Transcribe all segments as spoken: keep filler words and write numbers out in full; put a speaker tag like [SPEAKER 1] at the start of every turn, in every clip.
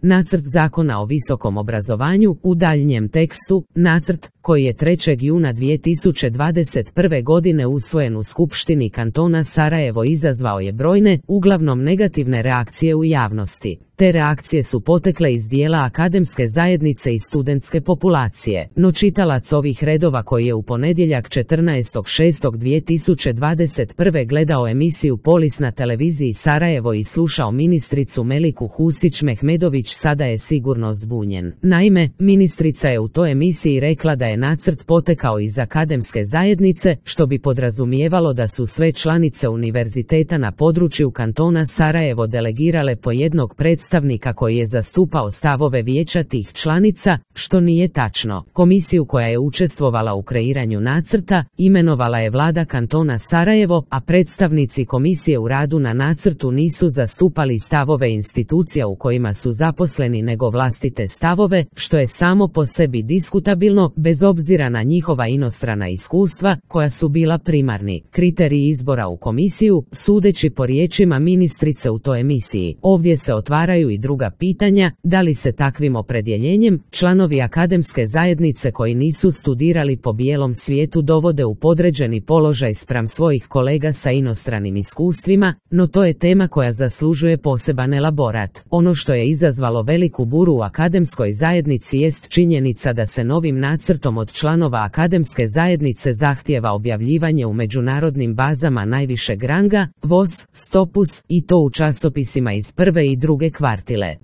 [SPEAKER 1] Nacrt zakona o visokom obrazovanju, u daljnjem tekstu, nacrt, koji je trećeg juna dvije tisuće dvadeset prve godine usvojen u Skupštini kantona Sarajevo, izazvao je brojne, uglavnom negativne reakcije u javnosti. Te reakcije su potekle iz dijela akademske zajednice i studentske populacije, no čitalac ovih redova koji je u ponedjeljak četrnaestog šestog dvije tisuće dvadeset prve gledao emisiju Polis na televiziji Sarajevo i slušao ministricu Meliku Husić Mehmedović sada je sigurno zbunjen. Naime, ministrica je u toj emisiji rekla da je nacrt potekao iz akademske zajednice, što bi podrazumijevalo da su sve članice univerziteta na području kantona Sarajevo delegirale po jednog predstavnika predstavnika koji je zastupao stavove vijeća tih članica, što nije tačno. Komisiju koja je učestvovala u kreiranju nacrta imenovala je vlada kantona Sarajevo, a predstavnici komisije u radu na nacrtu nisu zastupali stavove institucija u kojima su zaposleni nego vlastite stavove, što je samo po sebi diskutabilno bez obzira na njihova inostrana iskustva koja su bila primarni kriteriji izbora u komisiju, sudeći po riječima ministrice u toj emisiji. Ovdje se otvaraju i druga pitanja, da li se takvim opredjeljenjem članovi akademske zajednice koji nisu studirali po bijelom svijetu dovode u podređeni položaj spram svojih kolega sa inostranim iskustvima, no to je tema koja zaslužuje poseban elaborat. Ono što je izazvalo veliku buru u akademskoj zajednici jest činjenica da se novim nacrtom od članova akademske zajednice zahtijeva objavljivanje u međunarodnim bazama najvišeg ranga, V O S, Scopus, i to u časopisima iz prve i druge kvartile.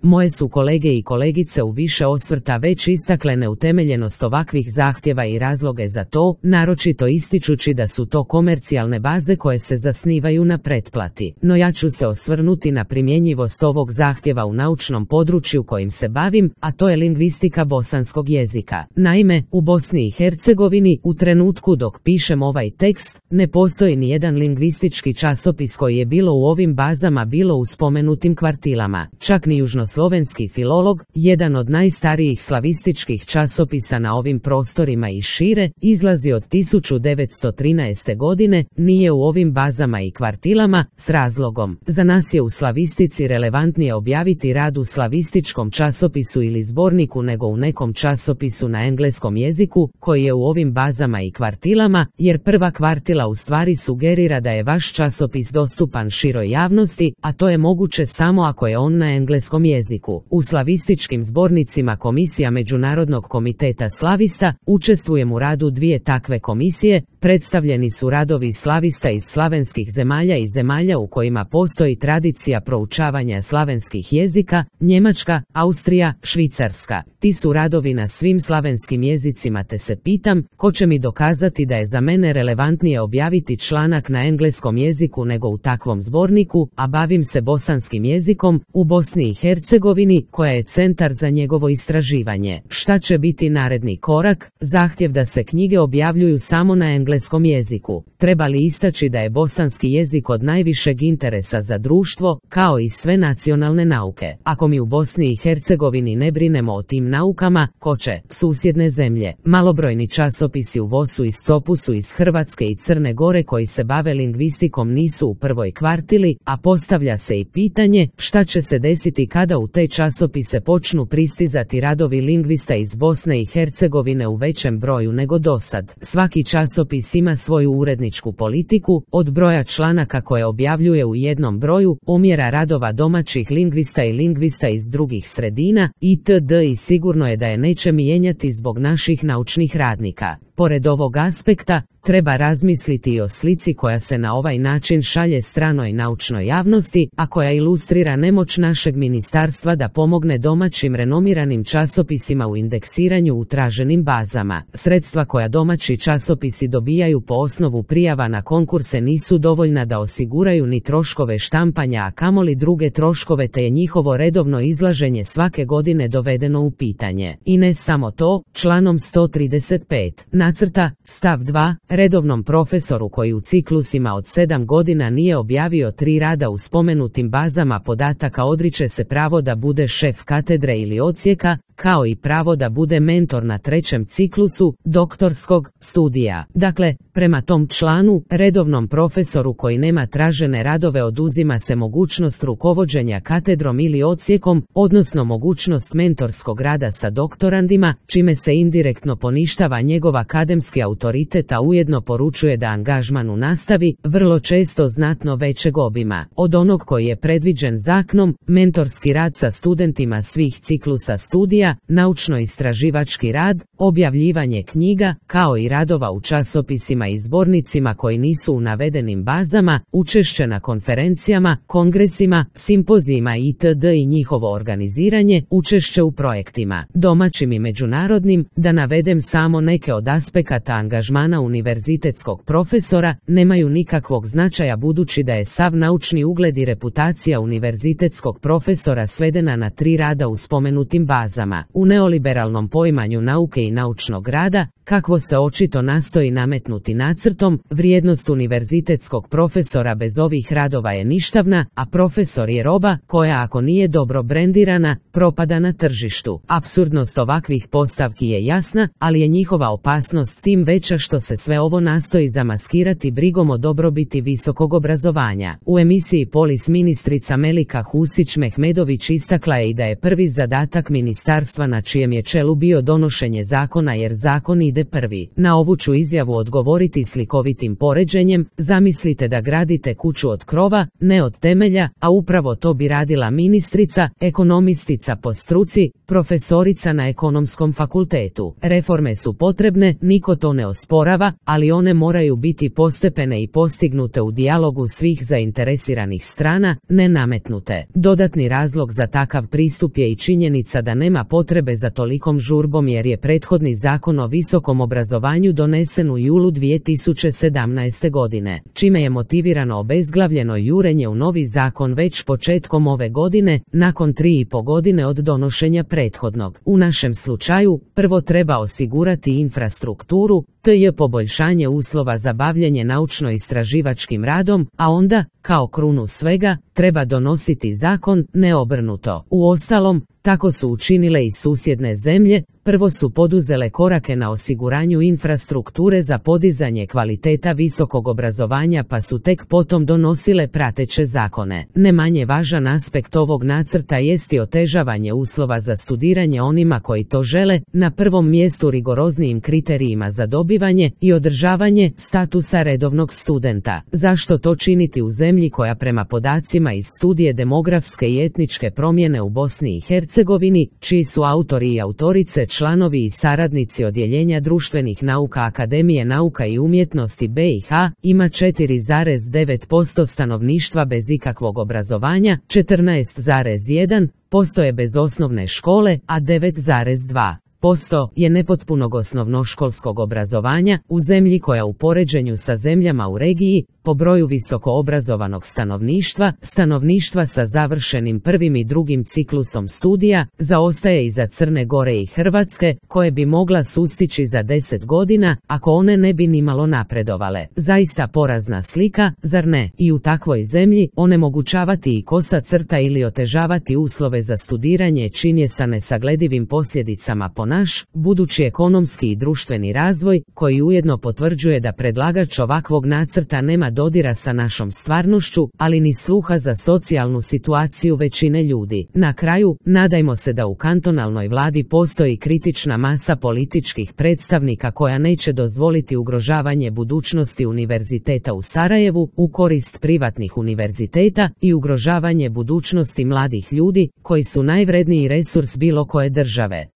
[SPEAKER 1] Moje su kolege i kolegice u više osvrta već istakle neutemeljenost ovakvih zahtjeva i razloge za to, naročito ističući da su to komercijalne baze koje se zasnivaju na pretplati. No ja ću se osvrnuti na primjenjivost ovog zahtjeva u naučnom području kojim se bavim, a to je lingvistika bosanskog jezika. Naime, u Bosni i Hercegovini, u trenutku dok pišem ovaj tekst, ne postoji ni jedan lingvistički časopis koji je bilo u ovim bazama bilo u spomenutim kvartilama. Čak ni južnoslovenski filolog, jedan od najstarijih slavističkih časopisa na ovim prostorima i šire, izlazi od tisuću devetsto trinaeste. godine, nije u ovim bazama i kvartilama, s razlogom. Za nas je u slavistici relevantnije objaviti rad u slavističkom časopisu ili zborniku nego u nekom časopisu na engleskom jeziku, koji je u ovim bazama i kvartilama, jer prva kvartila u stvari sugerira da je vaš časopis dostupan široj javnosti, a to je moguće samo ako je on na engleskom jeziku. U slavističkim zbornicima Komisija Međunarodnog komiteta slavista, učestvujem u radu dvije takve komisije, predstavljeni su radovi slavista iz slavenskih zemalja i zemalja u kojima postoji tradicija proučavanja slavenskih jezika, Njemačka, Austrija, Švicarska. Ti su radovi na svim slavenskim jezicima, te se pitam, ko će mi dokazati da je za mene relevantnije objaviti članak na engleskom jeziku nego u takvom zborniku, a bavim se bosanskim jezikom, u Bosni i Hercegovini, koja je centar za njegovo istraživanje. Šta će biti naredni korak? Zahtjev da se knjige objavljuju samo na engleskom jeziku. Treba li istaći da je bosanski jezik od najvišeg interesa za društvo, kao i sve nacionalne nauke? Ako mi u Bosni i Hercegovini ne brinemo o tim naukama, ko će? Susjedne zemlje. Malobrojni časopisi u V O S-u i Scopusu iz Hrvatske i Crne Gore koji se bave lingvistikom nisu u prvoj kvartili, a postavlja se i pitanje šta će se desiti kada u te časopise počnu pristizati radovi lingvista iz Bosne i Hercegovine u većem broju nego dosad. Svaki časopis ima svoju uredničku politiku, od broja članaka koje objavljuje u jednom broju, umjera radova domaćih lingvista i lingvista iz drugih sredina, itd. i sigurno je da je neće mijenjati zbog naših naučnih radnika. Pored ovog aspekta, treba razmisliti i o slici koja se na ovaj način šalje stranoj naučnoj javnosti, a koja ilustrira nemoć našeg ministarstva da pomogne domaćim renomiranim časopisima u indeksiranju u traženim bazama. Sredstva koja domaći časopisi dobijaju po osnovu prijava na konkurse nisu dovoljna da osiguraju ni troškove štampanja, a kamoli druge troškove, te je njihovo redovno izlaženje svake godine dovedeno u pitanje. I ne samo to, članom sto trideset pet nacrta, stav dva, redovnom profesoru koji u ciklusima od sedam godina nije objavio tri rada u spomenutim bazama podataka odriče se pravo da bude šef katedre ili odsjeka, kao i pravo da bude mentor na trećem ciklusu doktorskog studija. Dakle, prema tom članu, redovnom profesoru koji nema tražene radove oduzima se mogućnost rukovođenja katedrom ili odsjekom, odnosno mogućnost mentorskog rada sa doktorandima, čime se indirektno poništava njegov akademski autoritet, a ujedno poručuje da angažman u nastavi, vrlo često znatno većeg obima od onog koji je predviđen zakonom, mentorski rad sa studentima svih ciklusa studija, naučno-istraživački rad, objavljivanje knjiga, kao i radova u časopisima i zbornicima koji nisu u navedenim bazama, učešće na konferencijama, kongresima, simpozijima itd. I njihovo organiziranje, učešće u projektima, domaćim i međunarodnim, da navedem samo neke od aspekata angažmana univerzitetskog profesora, nemaju nikakvog značaja budući da je sav naučni ugled i reputacija univerzitetskog profesora svedena na tri rada u spomenutim bazama. U neoliberalnom poimanju nauke i naučnog rada, kakvo se očito nastoji nametnuti nacrtom, vrijednost univerzitetskog profesora bez ovih radova je ništavna, a profesor je roba koja ako nije dobro brendirana, propada na tržištu. Apsurdnost ovakvih postavki je jasna, ali je njihova opasnost tim veća što se sve ovo nastoji zamaskirati brigom o dobrobiti visokog obrazovanja. U emisiji Polis ministrica Melika Husić-Mehmedović istakla je i da je prvi zadatak ministarstva na čijem je čelu bio donošenje zakona jer zakon ide prvi. Na ovu ću izjavu odgovoriti slikovitim poređenjem: zamislite da gradite kuću od krova, ne od temelja, a upravo to bi radila ministrica, ekonomistica po struci, profesorica na ekonomskom fakultetu. Reforme su potrebne, niko to ne osporava, ali one moraju biti postepene i postignute u dijalogu svih zainteresiranih strana, ne nametnute. Dodatni razlog za takav pristup je i činjenica da nema potrebe za tolikom žurbom jer je prethodni zakon o visokom obrazovanju donesen u julu dvije tisuće sedamnaeste. godine, čime je motivirano obezglavljeno jurenje u novi zakon već početkom ove godine, nakon tri i po godine od donošenja prethodnog. U našem slučaju, prvo treba osigurati infrastrukturu, te poboljšanje uslova za bavljenje naučno-istraživačkim radom, a onda, kao krunu svega, treba donositi zakon, ne obrnuto. Uostalom, tako su učinile i susjedne zemlje, prvo su poduzele korake na osiguranju infrastrukture za podizanje kvaliteta visokog obrazovanja pa su tek potom donosile prateće zakone. Ne manje važan aspekt ovog nacrta jest i otežavanje uslova za studiranje onima koji to žele, na prvom mjestu rigoroznijim kriterijima za dobivanje i održavanje statusa redovnog studenta. Zašto to činiti u zemlji koja prema podacima iz studije demografske i etničke promjene u Bosni i Hercegovini, čiji su autori i autorice članovi i saradnici Odjeljenja društvenih nauka Akademije nauka i umjetnosti B i H, ima četiri zarez devet posto stanovništva bez ikakvog obrazovanja, četrnaest zarez jedan posto je bez osnovne škole, a devet zarez dva posto je nepotpunog osnovnoškolskog obrazovanja, u zemlji koja u poređenju sa zemljama u regiji, po broju visoko obrazovanog stanovništva, stanovništva sa završenim prvim i drugim ciklusom studija, zaostaje iza Crne Gore i Hrvatske, koje bi mogla sustići za deset godina, ako one ne bi nimalo napredovale. Zaista porazna slika, zar ne? I u takvoj zemlji, onemogućavati i kosa crta ili otežavati uslove za studiranje čin je sa nesagledivim posljedicama po naš, budući ekonomski i društveni razvoj, koji ujedno potvrđuje da predlagač ovakvog nacrta nema dodira sa našom stvarnošću, ali ni sluha za socijalnu situaciju većine ljudi. Na kraju, nadajmo se da u kantonalnoj vladi postoji kritična masa političkih predstavnika koja neće dozvoliti ugrožavanje budućnosti univerziteta u Sarajevu u korist privatnih univerziteta i ugrožavanje budućnosti mladih ljudi, koji su najvredniji resurs bilo koje države.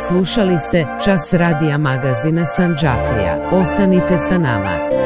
[SPEAKER 1] Slušali ste Čas radija magazina Sandžaklija. Ostanite sa nama.